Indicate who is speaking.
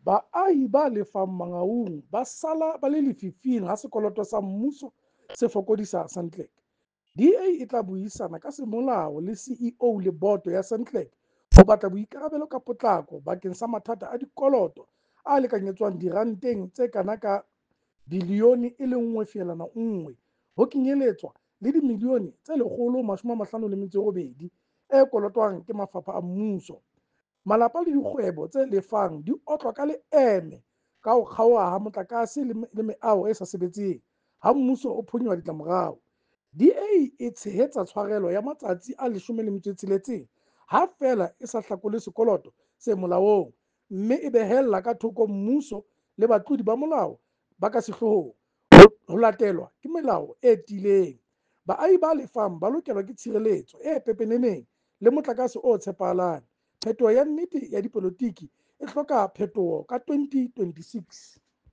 Speaker 1: Baahi ba lefang Mangaung ba sala ba le lefifing ha sekoloto sa mmuso se fokodisa Sentech. DA e tla buisana ka semolao le CEO le boto ya Sentech ho batla boikarabelo ka potlako bakeng sa mathata a dikoloto a lekanyetswang diranteng tse kana ka bilione e le 1.1, ho kenyeletswa le dimilione tse 158 e kolotwang ke mafapha a mmuso. Malapa le dikgwebo tse lefang di otlwa ka leeme ka ho kgaoha ha motlakase le meaho e sa sebetseng, ha mmuso o phonyoha ditlamorao. DA e tshehetsa tshwarelo ya matsatsi a 16 ha feela e sa hlakole sekoloto se molaong, mme e behella ka thoko mmuso le batlodi ba molao ba ka sehloohong ho latelwa ke melao e tiileng. Baahi ba lefang ba lokelwa ke tshireletso e pepeneneng le motlakase o tshepahalang. Phetoho ya nnete ya dipolotiki e hloka phetoho ka 2026.